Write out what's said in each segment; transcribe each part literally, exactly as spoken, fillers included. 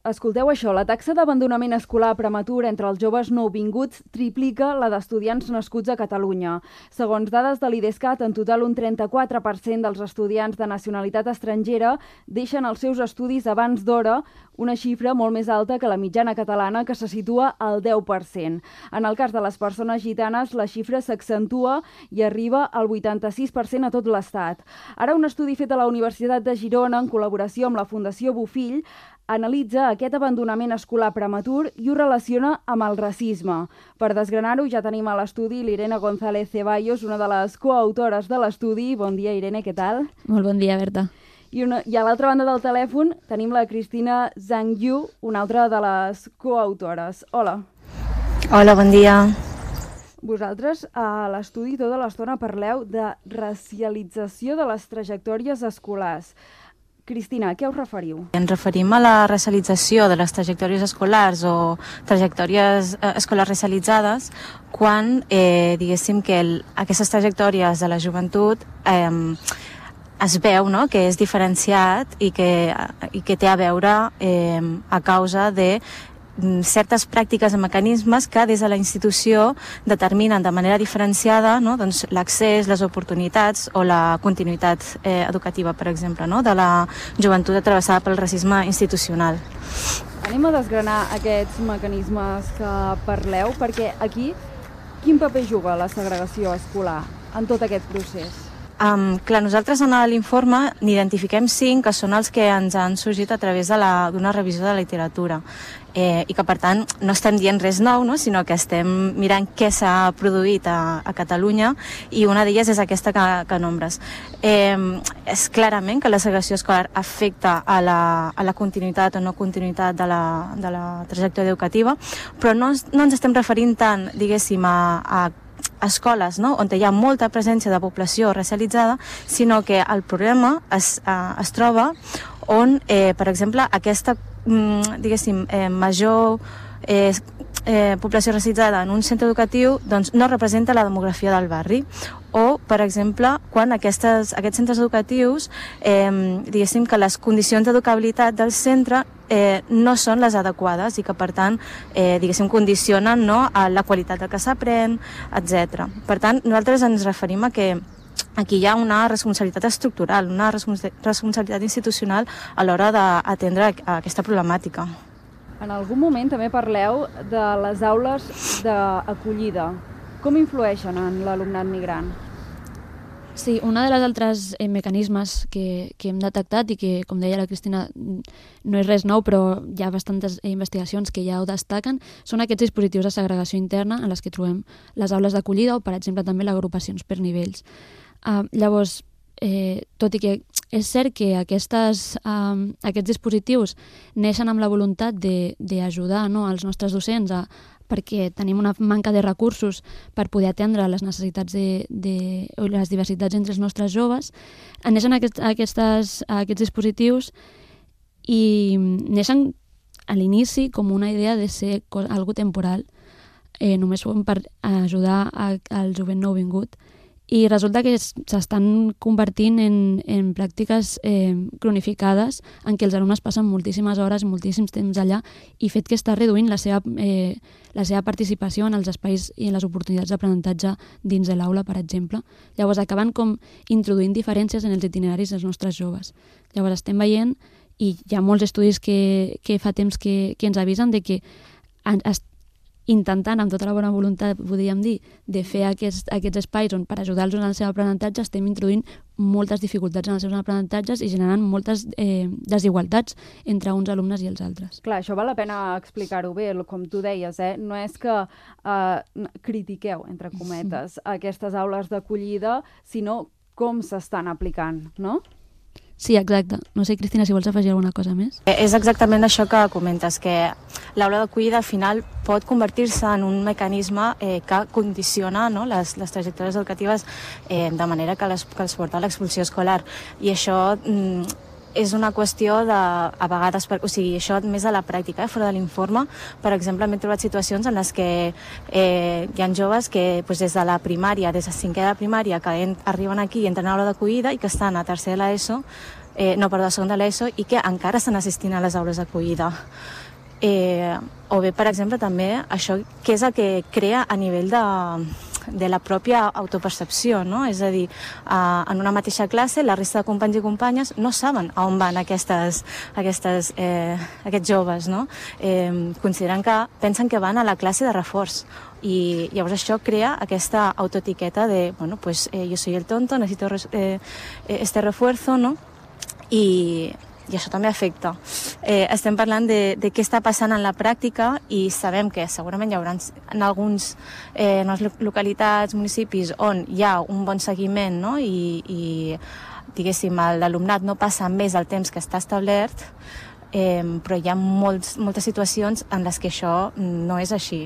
Escolteu això, la taxa d'abandonament escolar prematur entre els joves nouvinguts triplica la d'estudiants nascuts a Catalunya. Segons dades de l'Idescat, en total un trenta-quatre per cent dels estudiants de nacionalitat estrangera deixen els seus estudis abans d'hora, una xifra molt més alta que la mitjana catalana, que se situa al deu per cent. En el cas de les persones gitanes, la xifra s'accentua i arriba al vuitanta-sis per cent a tot l'Estat. Ara, un estudi fet a la Universitat de Girona, en col·laboració amb la Fundació Bofill, analitza aquest abandonament escolar prematur i ho relaciona amb el racisme. Per desgranar-ho, ja tenim a l'estudi l'Irene González Ceballos, una de les coautores de l'estudi. Bon dia, Irene, què tal? Molt bon dia, Berta. I, una, i a l'altra banda del telèfon tenim la Cristina Zhang Yu, una altra de les coautores. Hola. Hola, bon dia. Vosaltres a l'estudi tota l'estona parleu de racialització de les trajectòries escolars. Cristina, a què us referiu? Ens referim a la racialització de les trajectòries escolars o trajectòries eh, escolars racialitzades quan, eh, diguéssim, que el, aquestes trajectòries de la joventut eh, es veu, no?, que és diferenciat i que, i que té a veure eh, a causa de certes pràctiques i mecanismes que des de la institució determinen de manera diferenciada, no?, doncs, l'accés, les oportunitats o la continuïtat eh, educativa, per exemple, no?, de la joventut atravessada pel racisme institucional. Anem a desgranar aquests mecanismes que parleu, perquè aquí quin paper juga la segregació escolar en tot aquest procés? Um, clar, nosaltres en l'informe n'identifiquem cinc que són els que ens han sorgit a través d'una revisió de la literatura eh, i que per tant no estem dient res nou, no?, sinó que estem mirant què s'ha produït a, a Catalunya, i una d'elles és aquesta que, que nombres. Eh, és clarament que la segregació escolar afecta a la, a la continuïtat o no continuïtat de la, de la trajectòria educativa, però no, no ens estem referint tant, diguéssim, a, a escoles, no?, on hi ha molta presència de població racialitzada, sinó que el problema es, eh, es troba on, eh, per exemple, aquesta, mm, diguéssim, eh, major eh, eh, població racialitzada en un centre educatiu doncs, no representa la demografia del barri. O, per exemple, quan aquestes, aquests centres educatius, eh, diguéssim que les condicions d'educabilitat del centre eh, no són les adequades i que, per tant, eh, diguéssim, condicionen, no?, a la qualitat del que s'aprèn, etcètera. Per tant, nosaltres ens referim a que aquí hi ha una responsabilitat estructural, una responsabilitat institucional a l'hora d'atendre aquesta problemàtica. En algun moment també parleu de les aules d'acollida. Com influeixen en l'alumnat migrant? Sí, un dels altres eh, mecanismes que, que hem detectat i que, com deia la Cristina, no és res nou, però hi ha bastantes investigacions que ja ho destaquen, són aquests dispositius de segregació interna en les que trobem les aules d'acollida o, per exemple, també les agrupacions per nivells. Uh, llavors, eh, tot i que és cert que aquestes, um, aquests dispositius neixen amb la voluntat d'ajudar, no?, els nostres docents a perquè tenim una manca de recursos per poder atendre les necessitats de, de, o les diversitats entre els nostres joves, neixen aquest, aquestes, aquests dispositius i neixen a l'inici com una idea de ser algo temporal, eh, només són per ajudar a, al jovent nouvingut, i resulta que s'estan convertint en, en pràctiques eh, cronificades en què els alumnes passen moltíssimes hores, moltíssims temps allà, i fet que està reduint la seva, eh, la seva participació en els espais i en les oportunitats d'aprenentatge dins de l'aula, per exemple. Llavors acaben com introduint diferències en els itineraris dels nostres joves. Llavors estem veient, i hi ha molts estudis que, que fa temps que, que ens avisen de que es intentant, amb tota la bona voluntat, podríem dir, de fer aquests, aquests espais on per ajudar-los en el seu aprenentatge estem introduint moltes dificultats en els seus aprenentatges i generant moltes eh, desigualtats entre uns alumnes i els altres. Clar, això val la pena explicar-ho bé, com tu deies, eh? No és que eh, critiqueu, entre cometes, aquestes aules d'acollida, sinó com s'estan aplicant, no? Sí, exacte. No sé, Cristina, si vols afegir alguna cosa més. És exactament això que comentes, que l'aula d'acollida al final pot convertir-se en un mecanisme eh, que condiciona, no?, les, les trajectòries educatives eh, de manera que, les, que els porta a l'expulsió escolar. I això mm, és una qüestió de, a vegades, per, o sigui, això més a la pràctica, eh, fora de l'informe. Per exemple, m'he trobat situacions en les que eh, hi ha joves que pues, des de la primària, des de cinquè de primària, que en, arriben aquí i entren a l'aula d'acollida i que estan a tercer de l'ESO eh, no, perdó, segon de l'ESO, i que encara estan assistint a les aules d'acollida. Eh, o bé, per exemple, també això que és el que crea a nivell de, de la pròpia autopercepció, no? És a dir, eh, en una mateixa classe la resta de companys i companyes no saben a on van aquestes, aquestes, eh, aquests joves, no? Eh, consideren que pensen que van a la classe de reforç, i llavors això crea aquesta autoetiqueta de, bueno, pues eh, yo soy el tonto, necesito res, eh, este refuerzo, no? I i això també afecta. Eh, estem parlant de, de què està passant en la pràctica i sabem que segurament hi haurà en alguns eh, en les localitats, municipis on hi ha un bon seguiment, no? I, i diguéssim, l'alumnat no passa més el temps que està establert, eh, però hi ha molts, moltes situacions en les que això no és així.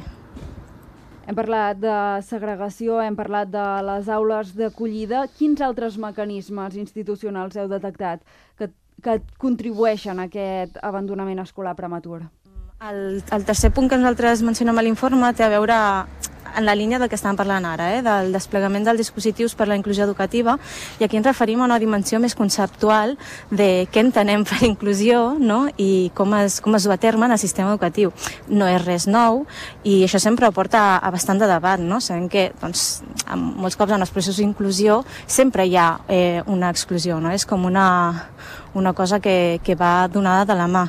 Hem parlat de segregació, hem parlat de les aules d'acollida. Quins altres mecanismes institucionals heu detectat que que contribueixen a aquest abandonament escolar prematur? El, el tercer punt que nosaltres mencionem a l'informe té a veure en la línia del que estàvem parlant ara, eh, del desplegament dels dispositius per la inclusió educativa, i aquí ens referim a una dimensió més conceptual de què entenem per inclusió, no? I com es, com es du a terme en el sistema educatiu. No és res nou i això sempre porta a, a bastant de debat, no? Sabem que doncs, molts cops en els processos d'inclusió sempre hi ha eh, una exclusió, no? És com una, una cosa que, que va donada de la mà.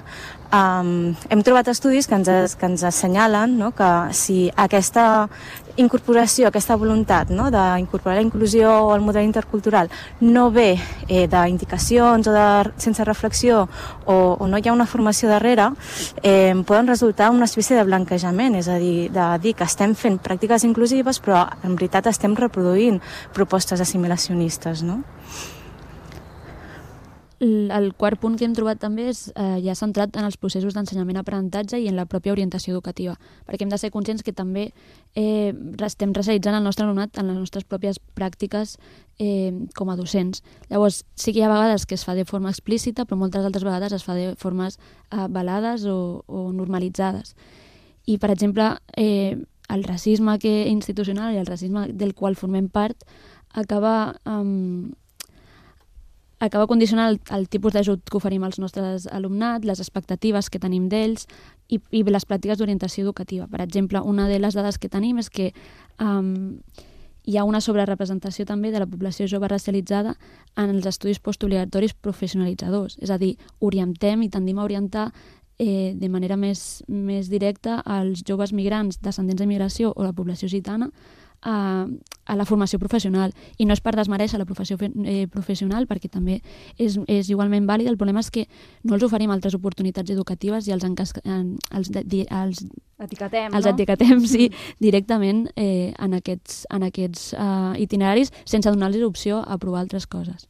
Um, hem trobat estudis que ens, que ens assenyalen, no?, que si aquesta incorporació, aquesta voluntat, no?, d'incorporar la inclusió al model intercultural no ve eh, d'indicacions o de, sense reflexió o, o no hi ha una formació darrere, eh, poden resultar una espècie de blanquejament, és a dir, de dir que estem fent pràctiques inclusives però en veritat estem reproduint propostes assimilacionistes, no? El quart punt que hem trobat també és eh, ja centrat en els processos d'ensenyament-aprenentatge i en la pròpia orientació educativa, perquè hem de ser conscients que també eh, estem racialitzant el nostre alumnat en les nostres pròpies pràctiques eh, com a docents. Llavors, sí que hi ha vegades que es fa de forma explícita, però moltes altres vegades es fa de formes eh, velades o, o normalitzades. I, per exemple, eh, el racisme que institucional i el racisme del qual formem part acaba... Eh, acaba condicionant el, el tipus d'ajut que oferim als nostres alumnat, les expectatives que tenim d'ells i, i les pràctiques d'orientació educativa. Per exemple, una de les dades que tenim és que um, hi ha una sobrerepresentació també de la població jove racialitzada en els estudis postobligatoris professionalitzadors. És a dir, orientem i tendim a orientar eh, de manera més, més directa als joves migrants descendents de migració o la població gitana A, a la formació professional. I no és per desmereixer la professió eh, professional, perquè també és, és igualment vàlid. El problema és que no els oferim altres oportunitats educatives i els, encas, els, els etiquetem, els no? etiquetem sí, directament eh, en aquests, en aquests uh, itineraris sense donar-los opció a provar altres coses.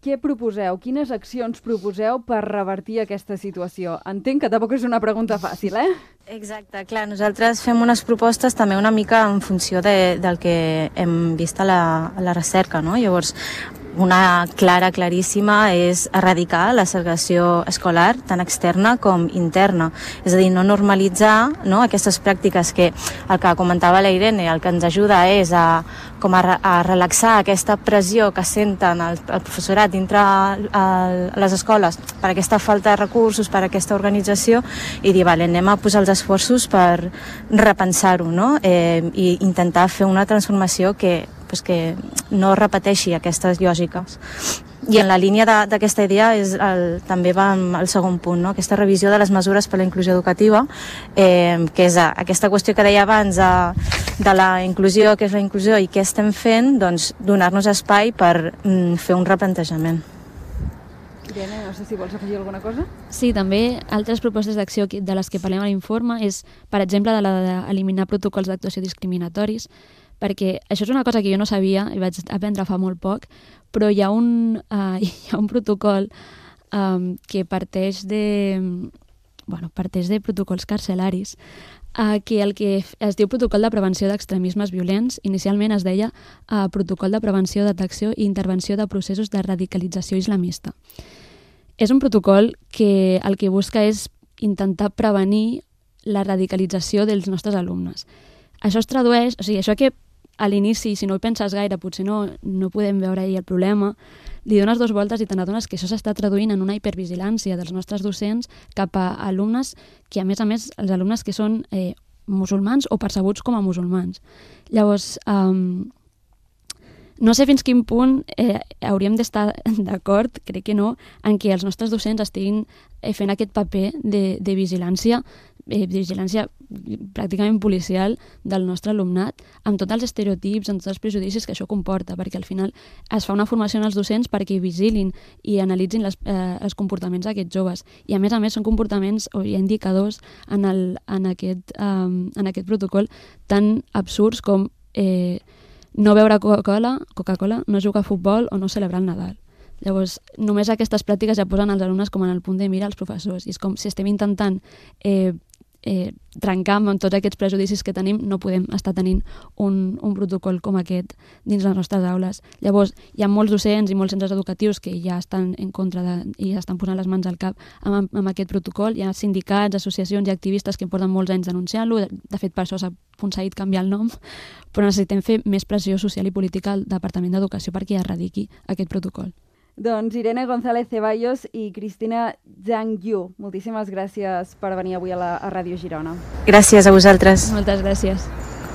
Què proposeu? Quines accions proposeu per revertir aquesta situació? Entenc que tampoc és una pregunta fàcil, eh? Exacte, clar, nosaltres fem unes propostes també una mica en funció de, del que hem vist a la, a la recerca, no? Llavors, una clara, claríssima, és erradicar la segregació escolar, tant externa com interna. És a dir, no normalitzar, no, aquestes pràctiques que el que comentava la Irene, el que ens ajuda és a, com a, a relaxar aquesta pressió que senten el, el professorat dintre el, les escoles per aquesta falta de recursos, per aquesta organització, i dir, vale, anem a posar els esforços per repensar-ho, no? Eh, i intentar fer una transformació que pues que no repeteixi aquestes lògiques. I en la línia d'aquesta idea és el, també va al segon punt, no? Aquesta revisió de les mesures per a la inclusió educativa, eh, que és aquesta qüestió que deia abans de, de la inclusió, què és la inclusió i què estem fent, doncs donar-nos espai per mm, fer un replantejament. Irene, no sé si vols afegir alguna cosa? Sí, també altres propostes d'acció de les que parlem a l'informe és, per exemple, de la d'eliminar protocols d'actuació discriminatoris, perquè això és una cosa que jo no sabia i vaig aprendre fa molt poc, però hi ha un, uh, hi ha un protocol um, que parteix de, bueno, parteix de protocols carcelaris, uh, que el que es diu protocol de prevenció d'extremismes violents. Inicialment es deia uh, protocol de prevenció, detecció i intervenció de processos de radicalització islamista. És un protocol que el que busca és intentar prevenir la radicalització dels nostres alumnes. Això es tradueix, o sigui, això que a l'inici, si no hi penses gaire, potser no, no podem veure ahir el problema, li dones dos voltes i te n'adones que això s'està traduint en una hipervigilància dels nostres docents cap a alumnes que, a més a més, els alumnes que són eh, musulmans o percebuts com a musulmans. Llavors, um, no sé fins quin punt eh, hauríem d'estar d'acord, crec que no, en què els nostres docents estiguin eh, fent aquest paper de, de vigilància, eh, vigilància pràcticament policial del nostre alumnat, amb tots els estereotips, amb tots els prejudicis que això comporta, perquè al final es fa una formació en els docents perquè vigilin i analitzin les, eh, els comportaments d'aquests joves. I a més a més són comportaments o hi ha indicadors en, el, en, aquest, um, en aquest protocol tan absurds com eh, no beure Coca-Cola, Coca-Cola, no jugar a futbol o no celebrar el Nadal. Llavors, només aquestes pràctiques ja posen els alumnes com en el punt de mira als professors. I és com si estem intentant eh, eh, trencar amb tots aquests prejudicis que tenim, no podem estar tenint un, un protocol com aquest dins les nostres aules. Llavors, hi ha molts docents i molts centres educatius que ja estan en contra de, i ja estan posant les mans al cap amb, amb aquest protocol. Hi ha sindicats, associacions i activistes que porten molts anys denunciant-lo. De, de fet, per això s'ha aconseguit canviar el nom, però necessitem fer més pressió social i política al Departament d'Educació perquè erradiqui aquest protocol. Doncs Irene González Ceballos i Cristina Zhang Yu, moltíssimes gràcies per venir avui a la a Ràdio Girona. Gràcies a vosaltres. Moltes gràcies.